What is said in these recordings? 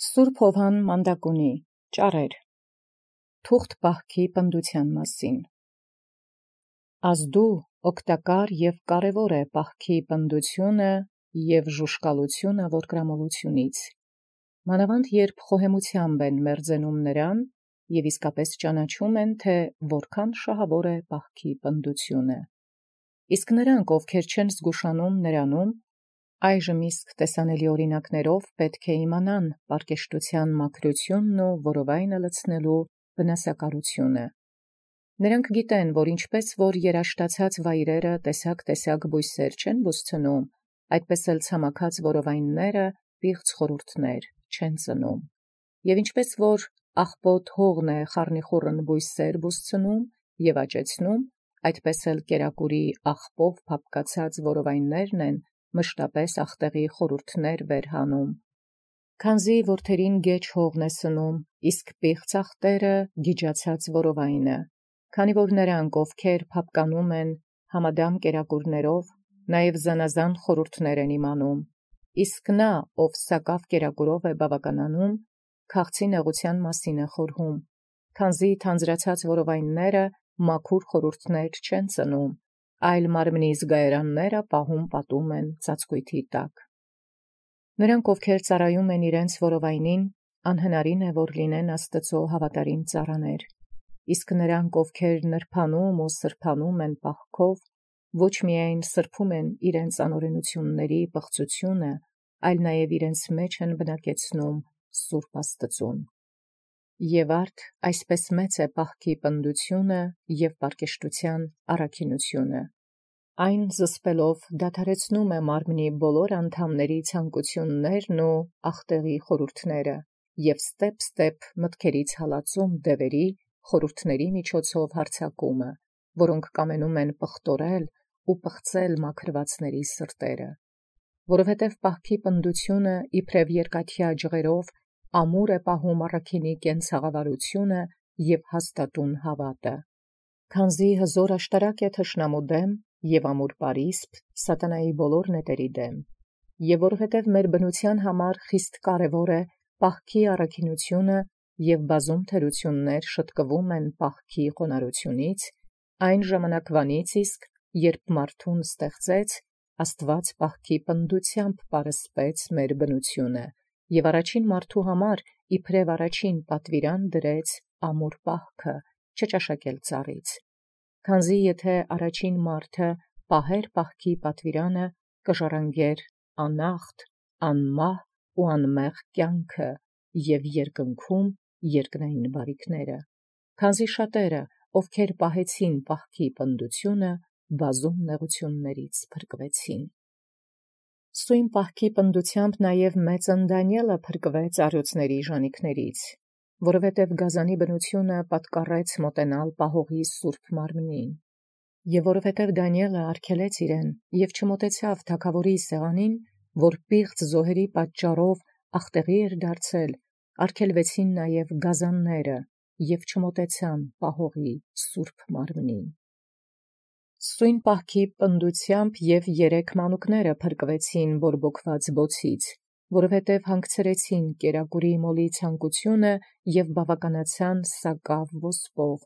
Սուրբ Հովհան Մանդակունի ճառեր թուղթ պահքի պնդության մասին։ Ազդու օգտակար և կարևոր է պահքի պնդությունը և ժուշկալությունը որդկրամոլությունից։ Մանավանդ երբ խոհեմությամբ են մերձենում նրան և իսկապես ճանաչում են, թե որքան շահավոր է պահքի պնդությունը։ Իսկ նրանք, ովքեր չեն զգուշանում նրանում, այժմ իսկ տեսանելի օրինակներով պետք է իմանան պարկեշտության մաքրությունն ու որովայնը լցնելու վնասակարությունը։ Նրանք գիտեն, որ ինչպես որ երաշտացած վայրերը տեսակ բույսեր չեն բուսցնում, այդպես էլ ցամաքած որովայնները պիղծ խորհուրդներ չեն ծնում։ Եվ ինչպես որ աղբոտ հողն է խառնիխուռն բույսեր բուսցնում և աճեցնում, այդպես էլ կերակուրի աղբով փափկացած որովայններն են մշտապես աղտեղի խորհուրդներ վեր հանում։ Քանզի որդերին գեջ հողն է սնում, իսկ պիղծ աղտերը գիջացած որովայնը, քանի որ նրանք, ովքեր փափկանում են համադամ կերակուրներով, նաև զանազան խորհուրդներ են իմանում, իսկ նա, ով սակավ կերակուրով է բավականանում, քաղցի նեղության մասին է խորհում, քանզի թանձրացած որովայնները մաքուր խորհուրդներ չեն ծնում, այլ մարմնի զգայարանները պահում պատում են ծածկույթի տակ։ Նրանք, ովքեր ծառայում են իրենց որովայնին, անհնարին է, որ լինեն Աստծո հավատարիմ ծառաներ, իսկ նրանք, ովքեր նրբանում ու սրբանում են պահքով, ոչ միայն սրբում են իրենց անօրենությունների պղծությունը, այլ նաև իրենց մեջ են բնակեցնում Սուրբ Աստծուն։ Եվ արդ այսպես մեծ է պահքի պնդությունը և պարկեշտության առաքինությունը։ Այն զսպելով դադարեցնում է մարմնի բոլոր անդամների ցանկություններն ու աղտեղի խորհուրդները և ստեպ մտքերից հալածում դևերի խորհուրդների միջոցով հարձակումը, որոնք կամենում են պղտորել ու պղծել մաքրվածների սրտերը։ Որովհետև պահքի պնդությունը իբրև երկաթյա ջղերով ամուր է պահում առաքինի կենցաղավարությունը և հաստատուն հավատը։ Քանզի հզոր աշտարակ է թշնամու դեմ և ամուր պարիսպ սատանայի բոլոր նետերի դեմ, և որովհետև մեր բնության համար խիստ կարևոր է պահքի առաքինությունը և բազում թերություններ շտկվում են պահքի խոնարհությունից, այն ժամանակվանից իսկ, երբ մարդուն ստեղծեց, Աստված պահքի պնդությամբ պարսպեց մեր բնությունը և առաջին մարդու համար իբրև առաջին պատվիրան դրեց ամուր պահքը, չճաշակել ծառից։ Քանզի եթե առաջին մարդը պահեր պահքի պատվիրանը, կժառանգեր անախտ, անմահ ու անմեղ կյանքը և երկնքում երկնային բարիքները, քանզի շատերը, ովքեր պահեցին պահքի պնդությունը, բազում նեղություններից փրկվեցին։ Սույն պահքի պնդությամբ նաև մեծն Դանիէլը փրկվեց առյուծների ժանիքներից, որովհետև գազանի բնությունը պատկառեց մոտենալ պահողի սուրբ մարմնին, և որովհետև Դանիէլը արգելեց իրեն և չմոտեցավ թագավորի սեղանին, որ պիղծ զոհերի պատճառով աղտեղի էր դարձել, արգելվեցին նաև գազանները և չմոտեցան պահողի սուրբ մարմնին։ Սույն պահքի պնդությամբ և 3 մանուկները փրկվեցին բորբոքված բոցից, որովհետև հանգցրեցին կերակուրի մոլի ցանկությունը և բավականացան սակավ ոսպով,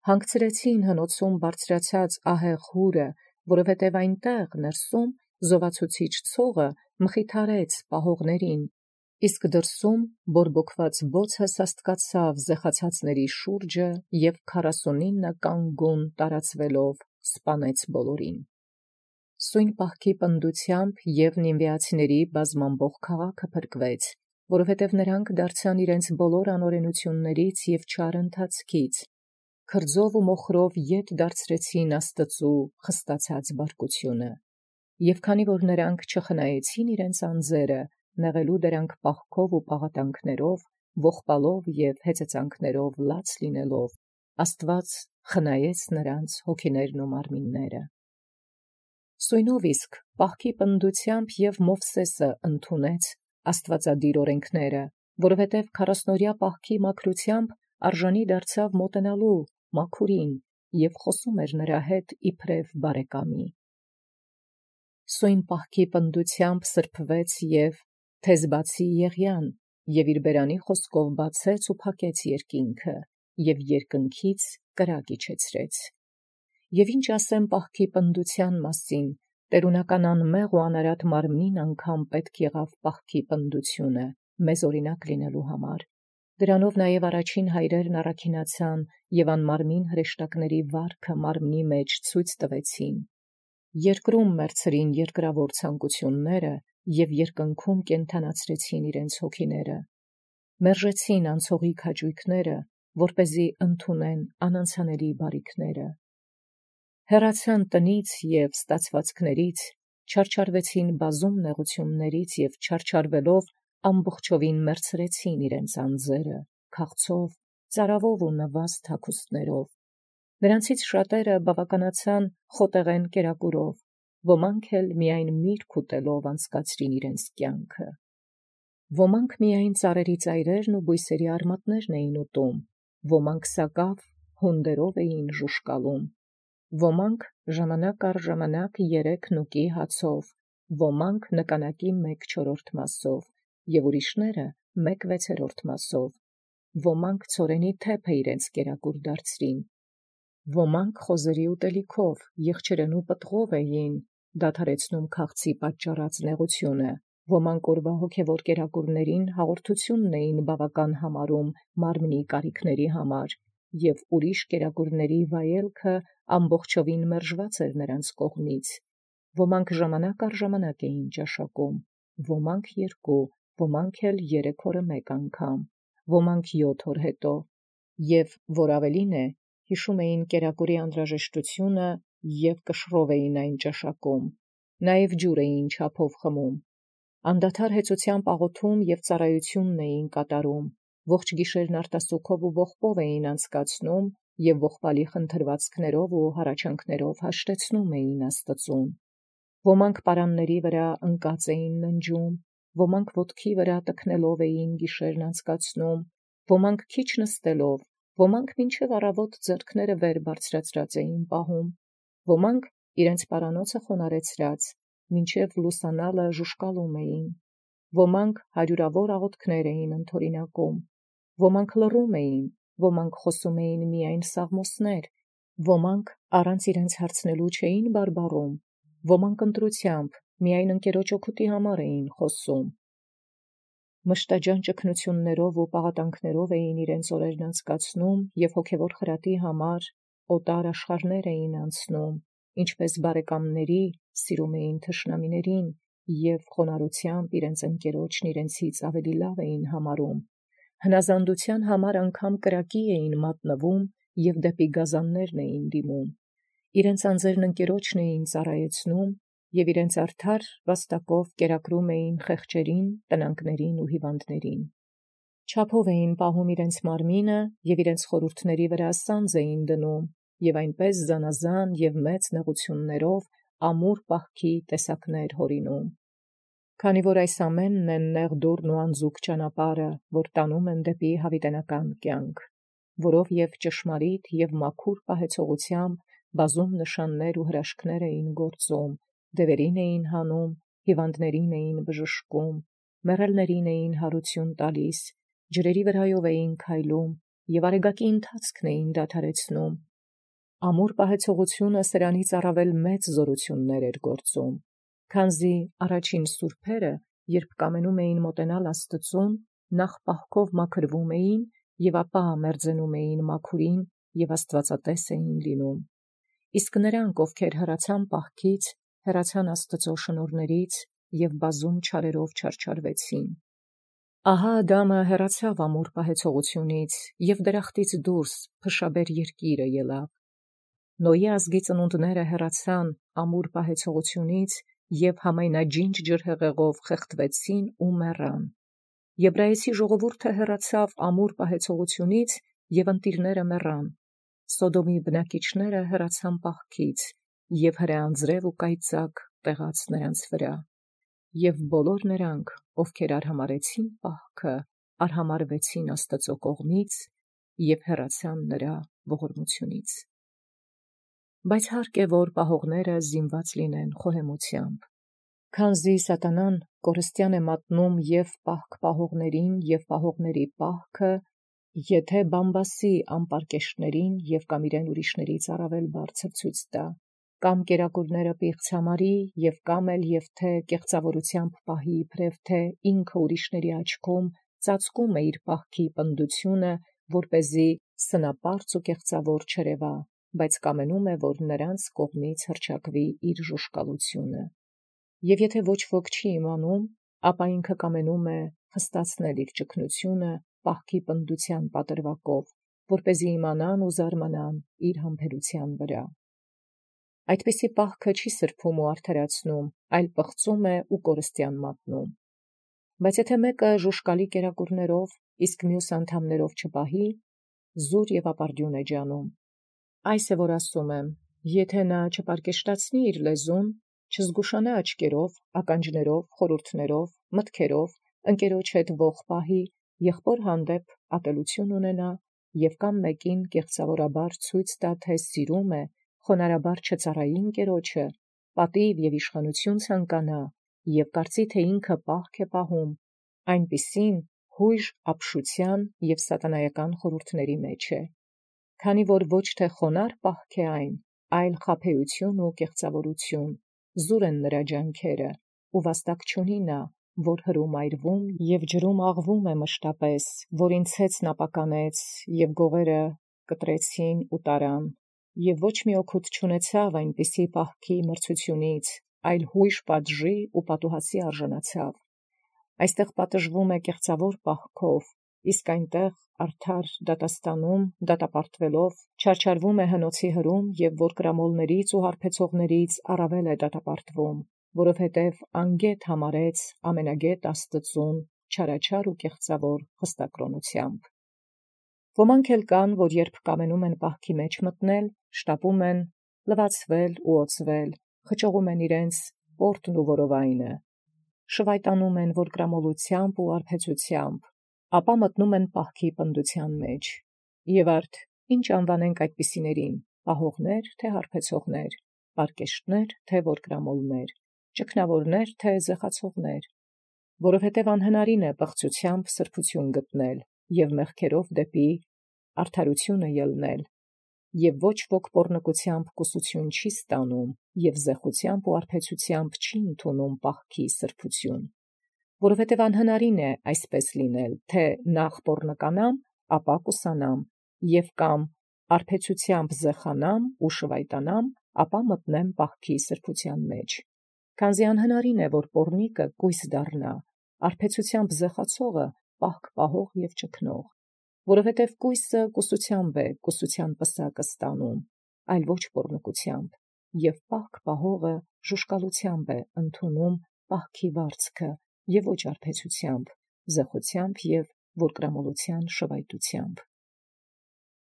հանգցրեցին հնոցում բարձրացած ահեղ հուրը, որովհետև այնտեղ ներսում զովացուցիչ ցողը մխիթարեց պահողներին, իսկ դրսում բորբոքված բոցը սաստկացավ զեխացածների շուրջը և 49 կանգուն տարածվելով սպանեց բոլորին։ Սույն պահքի պնդությամբ և նինվեացիների բազմամբող քաղաքը փրկվեց, որովհետև նրանք դարձան իրենց բոլոր անօրենություններից և չար ընթացքից, քրձով ու մոխրով ետ դարձրեցին Աստծու խստացած բարկությունը։ Եվ քանի որ նրանք չխնայեցին իրենց անձերը, նեղելու դրանք պահքով ու պաղատանքներով, ողբալով և հեծեծանքներով լաց լինելով, Աստված խնայեց նրանց հոգիներն ու մարմինները։ Սույնով իսկ պահքի պնդությամբ և Մովսեսը ընդունեց աստվածադիր օրենքները, որովհետև 40-օրյա պահքի մաքրությամբ արժանի դարձավ մոտենալու մաքուրին և խոսում էր նրա հետ իբրև բարեկամի։ Սույն պահքի պնդությամբ սրբվեց և Թեզբացի Եղիան, եւ իր բերանի խոսքով բացեց ու փակեց երկինքը, եւ երկնքից կրակ իջեցրեց։ Եւ ինչ ասեմ պահքի պնդության մասին, տերունական անմեղ ու անարատ մարմնին անգամ պետք եղավ պահքի պնդությունը, մեզ օրինակ լինելու համար։ Դրանով նաև առաջին հայրերն առաքինացան եւ անմարմին հրեշտակների վարքը մարմնի մեջ ցույց տվեցին։ Երկրում մերցրին երկրավոր ցանկությունները եւ երկնքում կենթանացրեցին իրենց հոգիները։ Մերժեցին անցողի քաջույքները, որպեսզի ընդունեն անանցանելի բարիքները։ Հեռացան տնից եւ ստացվածքներից, չարչարվեցին բազում նեղություններից եւ չարչարվելով ամբողջովին մերցրեցին իրենց անձերը, քաղցով, ծարավով ու նվաստ հագուստներով։ Նրանցից շատերը բավականացան խոտեղեն կերակուրով, ոմանք էլ միայն միրգ ուտելով անցկացրին իրենց կյանքը։ Ոմանք միայն ծառերի ծայրերն ու բույսերի արմատներն էին ուտում, ոմանք սակավ հունդերով էին ժուշկալում, ոմանք ժամանակ առ ժամանակ 3 նուկի հացով, ոմանք նկանակի 1/4 մասով, եւ ուրիշները 1/6 մասով, ոմանք ցորենի թեփը իրենց կերակուր դարձրին, ոմանք խոզերի ուտելիքով, եղջերեն ու պտղով էին դադարեցնում քաղցի պատճառած նեղությունը, ոմանք օրվա հոգևոր կերակուրներին հաղորդությունն էին բավական համարում մարմնի կարիքների համար, եւ ուրիշ կերակուրների վայելքը ամբողջովին մերժված էր նրանց կողմից, ոմանք ժամանակ առ ժամանակ էին ճաշակում, ոմանք 2, ոմանք էլ 3 օրը 1 անգամ, ոմանք 7 օր հետո, եւ որ ավելին է, հիշում էին կերակուրի անհրաժեշտությունը եւ կշռով էին այն ճաշակում, նաեւ ջուր էին չափով խմում, անդադար հեծությամբ աղոթում եւ ծառայությունն էին կատարում, ողջ գիշերն արտասուքով ու ողբով էին անցկացնում եւ ողբալի խնդրվածքներով ու հառաչանքներով հաշտեցնում էին Աստծուն։ Ոմանք պարանների վրա ընկած էին ննջում, ոմանք ոտքի վրա տքնելով էին գիշերն անցկացնում, ոմանք քիչ նստելով, ոմանք մինչև առավոտ ձեռքները վեր բարձրացրած էին պահում, ոմանք իրենց պարանոցը խոնարեցրած, մինչև լուսանալը ժուշկալում էին, ոմանք հարյուրավոր աղոթքներ էին ընդօրինակում, ոմանք լռում էին, ոմանք խոսում էին միայն սաղմոսներ, ոմանք առանց իրենց հարցնելու չէին բարբառում, ոմանք ընտրությամբ միայն ընկերոջ օգուտի համար էին խոսում։ Մշտաջան ճգնություններով ու պաղատանքներով էին իրենց օրերն անցկացնում եւ հոգևոր խրատի համար օտար աշխարհներ էին անցնում, ինչպես բարեկամների սիրում էին թշնամիներին եւ խոնարհությամբ իրենց ընկերոջն իրենցից ավելի լավ էին համարում, հնազանդության համար անգամ կրակի էին մատնվում եւ դեպի գազաններն էին դիմում, իրենց անձերն ընկերոջն էին ծառայեցնում եւ իրենց արդար վաստակով կերակրում էին խեղճերին, տնանկներին ու հիվանդներին։ Չափով էին պահում իրենց մարմինը եւ իրենց խորհուրդների վրա սանձ էին դնում եւ այնպես զանազան եւ մեծ նեղություններով ամուր պահքի տեսակներ հորինում։ Քանի որ այս ամենն են նեղ դուռն ու անձուկ ճանապարհը, որ տանում են դեպի հավիտենական կյանք, որով եւ ճշմարիտ եւ մաքուր պահեցողությամբ բազում նշաններ ու հրաշքներ էին գործում, դևերին էին հանում, հիվանդներին էին բժշկում, մեռելներին էին հարություն տալիս, ջրերի վրայով էին քայլում եւ արեգակի ընթացքն էին դադարեցնում։ Ամուր պահեցողությունը սրանից առավել մեծ զորություններ էր գործում, քանզի առաջին սուրբերը, երբ կամենում էին մոտենալ Աստծուն, նախ պահքով մաքրվում էին եւ ապա մերձենում էին մաքուրին եւ աստվածատես էին լինում։ Իսկ նրանք, ովքեր հեռացան պահքից, հեռացան Աստծո շնորհներից եւ բազում չարերով չարչարվեցին։ Ահա Ադամը հեռացավ ամուր պահեցողությունից եւ դրախտից դուրս փշաբեր երկիրը ելավ։ Նոյի ազգի ծնունդները հեռացան ամուր պահեցողությունից եւ համայնաջինջ ջրհեղեղով խեղդվեցին ու մեռան։ Եբրայեցի ժողովուրդը հեռացավ ամուր պահեցողությունից եւ ընտիրները մեռան։ Սոդոմի բնակիչները հեռացան պահքից եւ հրեանձրև ու կայծակ տեղաց նրանց վրա։ Եվ բոլոր նրանք, ովքեր արհամարեցին պահքը, արհամարվեցին Աստծո կողմից եւ հեռացան նրա ողորմությունից։ Բայց հարկ է, որ պահողները զինված լինեն խոհեմությամբ, Քանզի սատանան կորստյան է մատնում և պահք պահողներին և պահողների պահքը, եթե բամբասի ամպարկեշտներին և կամ իրեն ուրիշներից առավել բարձր ցույց տա, կամ կերակուրները պիղծ համարի և կամ էլ և թե կեղծավորությամբ պահի իբրև թե ինքը ուրիշների աչքում ծածկում է իր պահքի պնդությունը, որպեսզի սնապարծ ու կեղծավոր չերևա, բայց կամենում է, որ նրանց կողմից հռչակվի իր ժուշկալությունը։ Եվ եթե ոչ ոք չի իմանում, ապա ինքը կամենում է խստացնել իր ճգնությունը պահքի պնդության պատրվակով, որպեսզի իմանան ու զարմանան իր համբերության վրա։ Այդպիսի պահքը չի սրբում ու արդարացնում, այլ պղծում է ու կորստյան մատնում։ Բայց եթե մեկը ժուշկալի կերակուրներով, իսկ մյուս անդամներով չպահի, զուր և ապարդյուն է ջանում։ Այս է որ ասում եմ, եթե նա չպարկեշտացնի իր լեզուն, չզգուշանա աչքերով, ականջներով, խորհուրդներով, մտքերով, ընկերոջ հետ ոխ պահի, եղբոր հանդեպ ատելություն ունենա և կամ մեկին կեղծավորաբար ցույց տա, թե սիրում է, խոնարհաբար չծառայի ընկերոջը, պատիվ և իշխանություն ցանկանա և կարծի, թե ինքը պահք է պահում, այնպիսին հույժ ապշության և սատանայական խորհուրդների մեջ է, քանի որ ոչ թե խոնարհ պահք է այն, այլ խաբեություն ու կեղծավորություն, զուր են նրա ջանքերը, ու վաստակ չունի նա, որ հրում այրվում և ջրում աղվում է մշտապես, որին ցեցն ապականեց և գողերը կտրեցին ու տարան, և ոչ մի օգուտ չունեցավ այնպիսի պահքի մրցությունից, այլ հույժ պատժի ու պատուհասի արժանացավ։ Այստեղ պատժվում է կեղծավոր պահքով, իսկ այնտեղ արդար դատաստանում դատապարտվելով չարչարվում է հնոցի հրում և որ կրամոլներից ու հարբեցողներից առավել է դատապարտվում, որովհետև անգետ համարեց ամենագետ Աստծուն չարաչար ու կեղծավոր խստակրոնությամբ։ Ոմանք էլ կան, որ երբ կամենում են պահքի մեջ մտնել, շտապում են լվացվել ու օծվել, խճողում են իրենց պորտն ու որովայնը, շվայտանում են որ կրամոլությամբ ու արբեցությամբ, ապա մտնում են պահքի պնդության մեջ։ Եվ արդ ինչ անվանենք այդպիսիներին, պահողներ, թե հարբեցողներ, պարկեշտներ, թե որկրամոլներ, ճգնավորներ, թե զեղացողներ, որովհետև անհնարին է պղծությամբ սրբություն գտնել և մեղքերով դեպի արդարությունը ելնել, և ոչ ոք պոռնկությամբ կուսություն չի ստանում և զեղությամբ ու արբեցությամբ չի ընդունում պահքի սրբություն, որովհետև անհնարին է այսպես լինել, թե նախ պոռնկանամ, ապա կուսանամ, և կամ արբեցությամբ զեղանամ ու շվայտանամ, ապա մտնեմ պահքի սրբության մեջ, քանզի անհնարին է, որ պոռնիկը կույս դառնա, արբեցությամբ զեղացողը պահք պահող և ճգնող, որովհետև կույսը կուսությամբ է կուսության պսակը ստանում, այլ ոչ պոռնկությամբ, և պահք պահողը ժուշկալությամբ է ընդունում պահքի վարձքը և ոչ արբեցությամբ, զեղությամբ և որկրամոլության շվայտությամբ։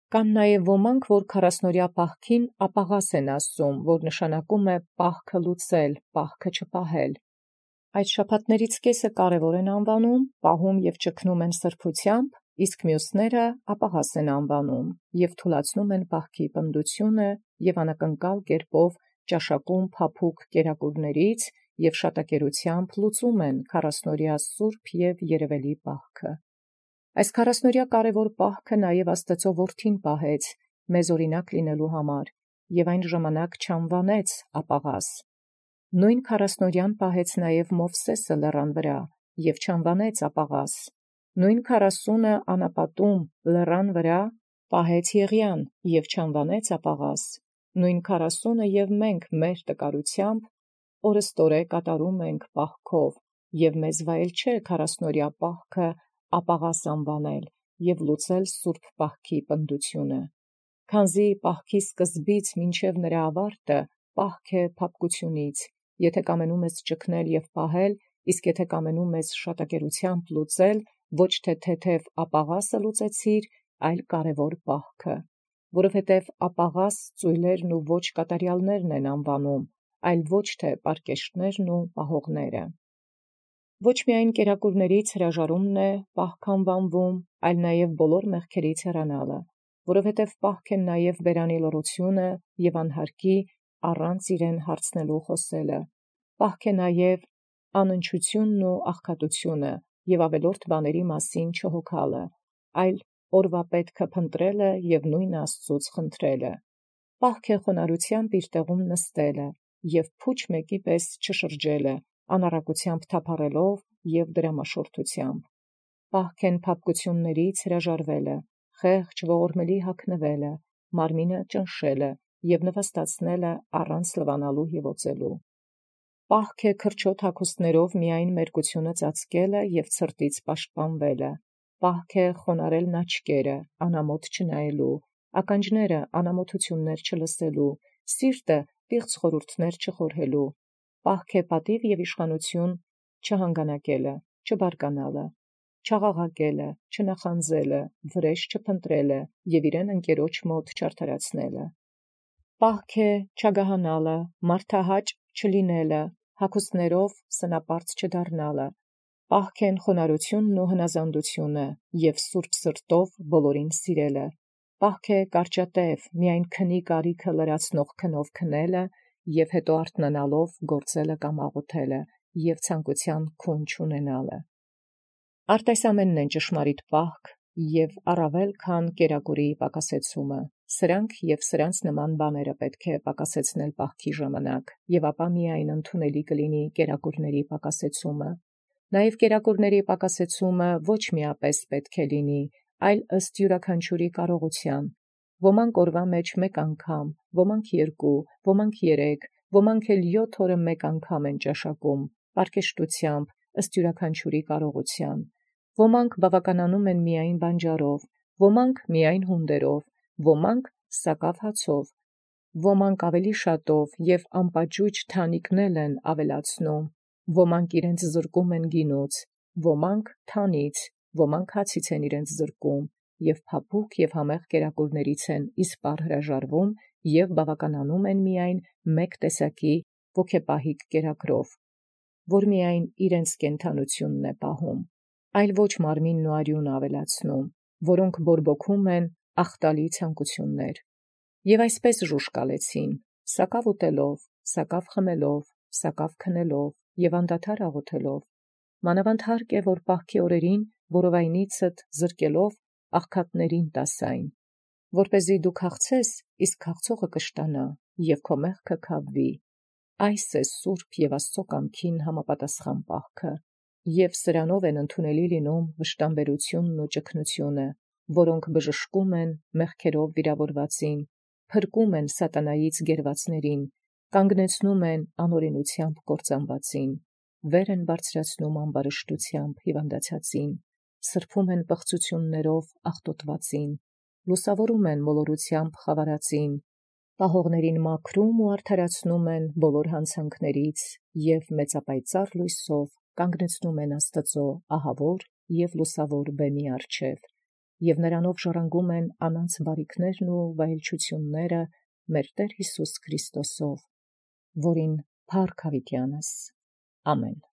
Կան նաև ոմանք, որ 40-օրյա պահքին ապաղաս են ասում, որ նշանակում է պահքը լուծել, պահքը չպահել։ Այդ շաբաթներից կեսը կարևոր են անվանում, պահում և ճգնում են սրբությամբ, իսկ մյուսները ապաղաս են անվանում և թուլացնում են պահքի պնդությունը և անակնկալ կերպով ճաշակում փափուկ կերակուրներից և շատակերությամբ լուծում են 40-օրյա սուրբ և երևելի պահքը։ Այս 40-օրյա կարևոր պահքը նաև Աստծո որդին պահեց մեզ օրինակ լինելու համար, և այն ժամանակ չանվանեց ապաղաս։ Նույն 40-օրյան պահեց նաև Մովսեսը լեռան վրա, և չանվանեց ապաղաս։ Նույն 40-ը անապատում լեռան վրա պահեց Եղիան, և չանվանեց ապաղաս։ Նույն 40-ը և մենք մեր տկարությամբ օրըստօրե կատարում ենք պահքով, և մեզ վայել չէ 40-օրյա պահքը ապաղաս անվանել և լուծել սուրբ պահքի պնդությունը, քանզի պահքի սկզբից մինչև նրա ավարտը պահք է փափկությունից, եթե կամենում ես ճգնել և պահել, իսկ եթե կամենում ես շատակերությամբ լուծել, ոչ թե թեթև ապաղասը լուծեցիր, այլ կարևոր պահքը, որովհետև ապաղաս ծույլերն ու ոչ կատարյալներն են անվանում, այլ ոչ թե պարկեշտներն ու պահողները։ Ոչ միայն կերակուրներից հրաժարումն է պահք անվանվում, այլ նաև բոլոր մեղքերից հեռանալը, որովհետև պահք են նաև բերանի լռությունը և անհարկի առանց իրեն հարցնելու խոսելը, Պահք է նաև անընչութիւնն ու աղքատութիւնը և ավելորդ բաների մասին չհոգալը, այլ օրվա պետքը փնտրելը և նույն Աստուծոց խնդրելը։ Պահք է խոնարհութեամբ իր տեղում նստելը և փուչ մեկի պես չշրջելը, անառակությամբ թափառելով և դրամաշորթութեամբ։ Պահք են փափկութիւններից հրաժարվելը, խեղճ ողորմելի հագնվելը, մարմինը ճնշելը և նվաստացնելը առանց լվանալու և օծելու։ Պահք է քրչոտ հագուստներով միայն մերկությունը ծածկելը և ցրտից պաշտպանվելը։ Պահք է խոնարհելն աչքերը, անամոթ չնայելու, ականջները անամոթություններ չլսելու, սիրտը պիղծ խորհուրդներ չխորհելու։ Պահք է պատիւ և իշխանութիւն չհանգանակելը, չբարկանալը, չաղաղակելը, չնախանձելը, վրէժ չփնտրելը և իրեն ընկերոջ մոտ չարդարացնելը։ Պահք է չագահանալը, մարդահաճ չլինելը, հագուստներով սնապարծ չդառնալը։ Պահք են խոնարհութիւնն ու հնազանդութիւնը և սուրբ սրտով բոլորին սիրելը։ Պահք է կարճատև, միայն քնի կարիքը լրացնող քնով քնելը և հետո արթնանալով գործելը կամ աղոթելը և ցանկութեան քուն չունենալը։ Արտասամենն են ճշմարիտ պահք և առավել քան կերակուրի պակասեցումը։ Սրանք և սրանց նման բաները պետք է պակասեցնել պահքի ժամանակ, և ապա միայն ընդունելի կլինի կերակուրների պակասեցումը։ Նաև կերակուրների պակասեցումը ոչ միապես պետք է լինի, այլ ըստ յուրաքանչյուրի կարողութեան։ Ոմանք օրվա մեջ մեկ անգամ, ոմանք երկու, ոմանք երեք, ոմանք էլ 7 օրը մեկ անգամ են ճաշակում, պարկեշտութեամբ, ըստ յուրաքանչյուրի կարողութեան։ Ոմանք բավականանում են միայն բանջարով, ոմանք միայն հունդերով, ոմանք սակավ հացով, ոմանք ավելի շատով և անպաճուճ թանիկնել են ավելացնում, ոմանք իրենց զրկում են գինուց, ոմանք թանից, ոմանք հացից են իրենց զրկում, և փափուկ և համեղ կերակուրներից են իսպառ հրաժարվում և բավականանում են միայն մեկ տեսակի ոգեպահիկ կերակրով, որ միայն իրենց կենդանութիւնն է պահում, այլ ոչ մարմինն ու արիւնը ավելացնում, որոնք բորբոքում են աղտալի ցանկութիւններ։ Եւ այսպես ժուժկալեցին, սակավ ուտելով, սակավ խմելով, սակավ քնելով և անդադար աղոթելով։ Մանավանդ հարկ է, որ պահքի օրերին որովայնիցդ զրկելով աղքատներին տասայն, որպեսզի դու քաղցես, իսկ քաղցողը կշտանա, և քո մեղքը քավվի։ Այս է սուրբ և Աստծո կամքին համապատասխան պահքը, և սրանով են ընդունելի լինում վշտամբերութիւնն ու ճգնութիւնը, որոնք բժշկում են մեղքերով վիրավորվածին, փրկում են սատանայից գերվածներին, կանգնեցնում են անօրենութեամբ կործանվածին, վեր են բարձրացնում ամբարշտութեամբ հիվանդացածին, սրբում են պղծութիւններով աղտոտվածին, լուսավորում են մոլորութեամբ խավարածին, պահողներին մաքրում ու արդարացնում են բոլոր հանցանքներից և մեծապայծառ լույսով կանգնեցնում են Աստուծո ահավոր և լուսավոր բեմի առջև, և նրանով ժառանգում են անոնց բարիքներն ու վայելչութիւնները մեր Տեր Յիսուս Քրիստոսով, որին փառք յաւիտյանս։ Ամեն։